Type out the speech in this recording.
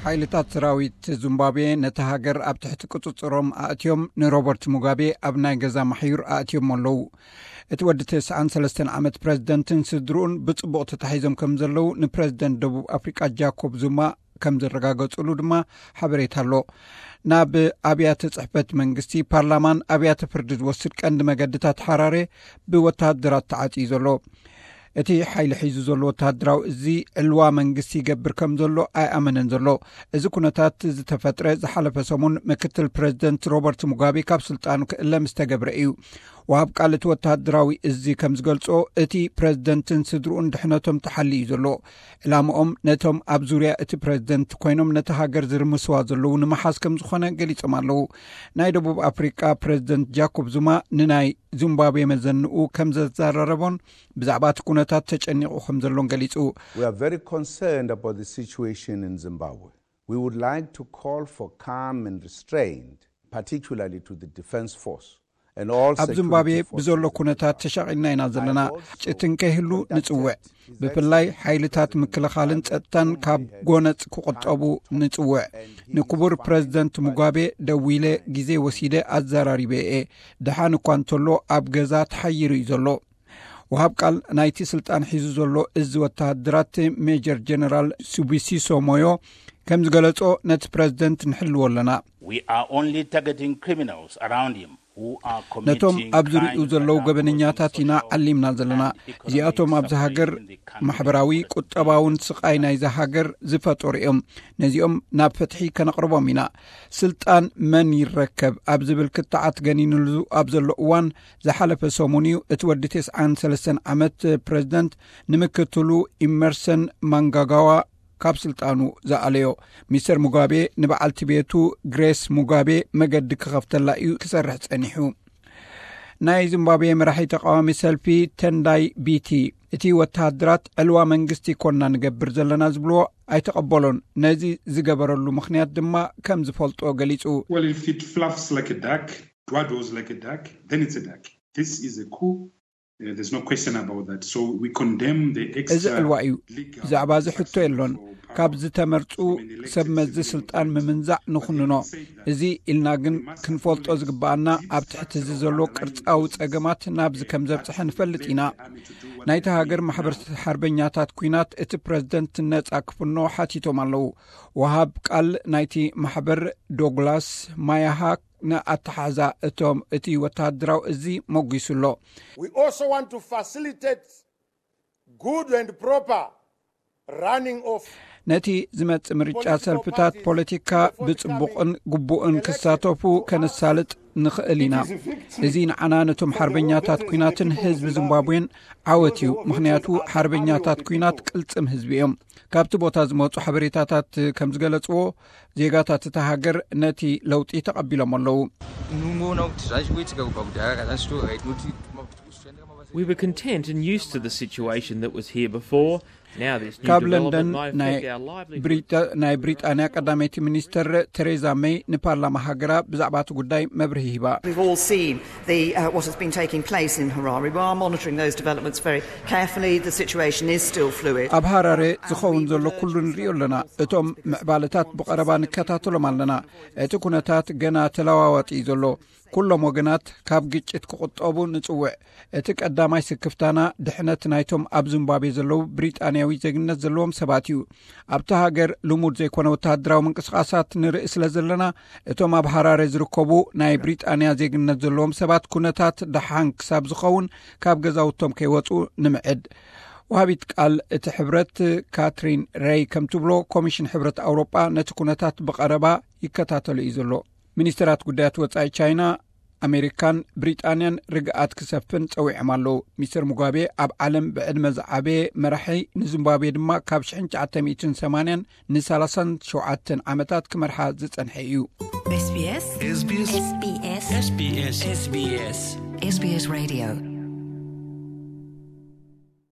ሓይልታት ሰራዊት ዚምባብዌ ነቲ ሃገር ኣብ ትሕቲ ቁጽጽሮም ኣእትዮም፣ ንሮበርት ሙጋቤ ኣብ ናይ ገዛ ማሕዩር ኣእትዮሞ ኣለዉ። እቲ ወዲ ተስዓን ሰለስተን ዓመት ፕረዚደንትን ስድርኡን ብጽቡቕ ተታሒዞም ከም ዘለዉ ንፕረዚደንት ደቡብ ኣፍሪቃ ጃኮብ ዙማ ከም ዘረጋገጹሉ ድማ ሓበሬታ ኣሎ። ናብ ኣብያተ ጽሕፈት መንግስቲ፣ ፓርላማን ኣብያተ ፍርዲ ዝወስድ ቀንዲ መገድታት ሓራሬ ብወተሃደራት ተዓጽዩ ዘሎ። እቲ ሓይሊ ሒዙ ዘሎ ወተሃደራዊ እዚ ዕልዋ መንግስቲ ይገብር ከም ዘሎ ኣይኣመነን ዘሎ። እዚ ኩነታት ዝተፈጥረ ዝሓለፈ ሰሙን ምክትል ፕረዚደንት ሮበርት ሙጋቤ ካብ ስልጣኑ ክእለ ምስ ተገብረ እዩ። ወሃብ ቃል እቲ ወተሃደራዊ እዚ ከም ዝገልጾ፣ እቲ ፕረዚደንትን ስድርኡን ድሕነቶም ተሓልዩ ዘሎ። ዕላምኦም ነቶም ኣብ ዙርያ እቲ ፕረዚደንት ኮይኖም ነቲ ሃገር ዝርምስዋ ዘለዉ ንምሓዝ ከም ዝኾነ ገሊጾም ኣለዉ። ናይ ደቡብ ኣፍሪቃ ፕረዚደንት ጃኮብ ዙማ ንናይ ዚምባብዌ መዘንኡ ከም ዘዘራረቦን ብዛዕባ እቲ ኩነታት ተጨኒቑ ከም ዘሎን ገሊጹ። We are very concerned about the situation in Zimbabwe. We would like to call for calm and restraint, particularly to the Defence Force and all ኣብ ዚምባብዌ security ብዘሎ forces. ኩነታት ተሻቒልና ኢና ዘለና። ግጭት እንከይህሉ ንጽውዕ። ብፍላይ ሓይልታት ምክልኻልን ጸጥታን ካብ ጎነጽ ክቑጠቡ ንጽውዕ። ንክቡር ፕረዚደንት ሙጋቤ ደዊለ ግዜ ወሲደ ኣዘራሪበ እየ። ደሓን እኳ እንተሎ ኣብ ገዛ ተሓይሩ እዩ ዘሎ። ወሃብ ቃል ናይቲ ስልጣን ሒዙ ዘሎ እዚ ወተሃደራት ሜጀር ጀነራል ሱቢሲሶ ሞዮ ከም ዝገለጾ፣ ነቲ ፕረዚደንት ንሕልዎ ኣለና። We are only targeting criminals around him who are ነቶም committing ኣብ ዙሪኡ crimes ዘለዉ that are ገበነኛታት causing ኢና social ዓሊምና ዘለና። and economic እዚኣቶም ኣብዚ ሃገር suffering in the country. ማሕበራዊ ቁጠባውን ስቓይ ናይዛ ሃገር ዝፈጠሩ እዮም። ነዚኦም ናብ ፍትሒ ከነቕርቦም ኢና። ስልጣን መን ይረከብ ኣብ ዝብል ክትዓት ገኒንሉ ኣብ ዘሎ እዋን፣ ዝሓለፈ ሰሙን እዩ እቲ ወዲ ተስዓን ሰለስተን ዓመት ፕረዚደንት ንምክትሉ ኢመርሰን ማንጋጋዋ ካብ ስልጣኑ ዝኣለዮ። ሚስተር ሙጋቤ ንበዓልቲ ቤቱ ግሬስ ሙጋቤ መገዲ ክኸፍተላ እዩ ክሰርሕ ጸኒሑ። ናይ ዚምባብዌ መራሒ ተቃዋሚ ሰልፊ ተንዳይ ቢቲ፣ እቲ ወተሃደራት ዕልዋ መንግስቲ ኮና ንገብር ዘለና ዝብልዎ ኣይተቐበሎን። ነዚ ዝገበረሉ ምኽንያት ድማ ከም ዝፈልጦ ገሊጹ። Well, if it fluffs like a duck, dwaddles like a duck, then it's a duck. This is a coup. Uh, there's no question about that. So we condemn the እዚ extra ዕልዋ እዩ። legal ብዛዕባ እዚ ሕቶ የሎን። ካብ ዝተመርጹ ሰብ መዚ ስልጣን ምምንዛዕ ንኹንኖ። እዚ ኢልና ግን ክንፈልጦ ዝግባኣና፣ ኣብ ትሕቲ እዚ ዘሎ ቅርጻዊ ጸገማት ናብዚ ከም ዘብጽሐ ንፈልጥ ኢና። ናይቲ ሃገር ማሕበር ሓርበኛታት ኲናት እቲ ፕረዚደንት ነጻ ክፍኖ ሓቲቶም ኣለዉ። ወሃብ ቃል ናይቲ ማሕበር ዶግላስ ማያሃ ንኣተሓሕዛ እቶም እቲ ወተሃደራዊ እዚ መጒሱ ኣሎ። We also want to facilitate good and proper running of ነቲ ዝመጽእ ምርጫ ሰልፍታት ፖለቲካ ብጽቡቕን ግቡእን ክሳተፉ ከነሳልጥ ንኽእል ኢና። እዚ ንዓና ነቶም ሓርበኛታት ኲናትን ህዝቢ ዚምባብዌን ዓወት እዩ። ምኽንያቱ ሓርበኛታት ኲናት ቅልጽም ህዝቢ እዮም። ካብቲ ቦታ ዝመጹ ሓበሬታታት ከም ዝገለጽዎ፣ ዜጋታት እታ ሃገር ነቲ ለውጢ ተቐቢሎም ኣለዉ። Não, não, já estou a muito. We were content and used to the situation that was here before. Now this new ካብ development ለንደን might ናይ affect our livelihood. ብሪጣ- ናይ ብሪጣንያ ቀዳመይቲ ሚኒስተር ቴሬዛ ሜይ ንፓርላማ ሃገራ ብዛዕባ እቲ ጉዳይ መብርሂ ሂባ። We've all seen the, uh, what has been taking place in Harare. We are monitoring those developments very carefully. The situation is still fluid. ኣብ ሃራሬ ዝኸውን ዘሎ ኩሉ ንሪኦ ኣለና። እቶም ምዕባለታት ብቐረባ ንከታተሎም ኣለና። እቲ ኩነታት ገና ተለዋዋጢ እዩ ዘሎ። ኩሎም ወገናት ካብ ግጭት ክቑጠቡ ንጽውዕ። እቲ ቀዳማይ ስክፍታና ድሕነት ናይቶም ኣብ ዚምባብዌ ዘለዉ ብሪጣንያዊ ዜግነት ዘለዎም ሰባት እዩ። ኣብቲ ሃገር ልሙድ ዘይኮነ ወተሃደራዊ ምንቅስቓሳት ንርኢ ስለ ዘለና፣ እቶም ኣብ ሃራሬ ዝርከቡ ናይ ብሪጣንያ ዜግነት ዘለዎም ሰባት ኩነታት ደሓን ክሳብ ዝኸውን ካብ ገዛውቶም ከይወጹ ንምዕድ። ወሃቢት ቃል እቲ ሕብረት ካትሪን ሬይ ከም ትብሎ፣ ኮሚሽን ሕብረት ኣውሮጳ ነቲ ኩነታት ብቐረባ ይከታተሎ እዩ ዘሎ። ሚኒስትራት ጉዳያት ወጻኢ ቻይና፣ ኣሜሪካን ብሪጣንያን ርግኣት ክሰፍን ጸዊዖም ኣለዉ። ሚስተር ሙጋቤ ኣብ ዓለም ብዕድመ ዝዓበየ መራሒ፣ ንዚምባብዌ ድማ ካብ ሽሕን ትሽዓተ ሚእትን ሰማንያን ንሳላሳን ሸውዓተን ዓመታት ክመርሓ ዝጸንሐ እዩ። SBS SBS SBS SBS SBS SBS Radio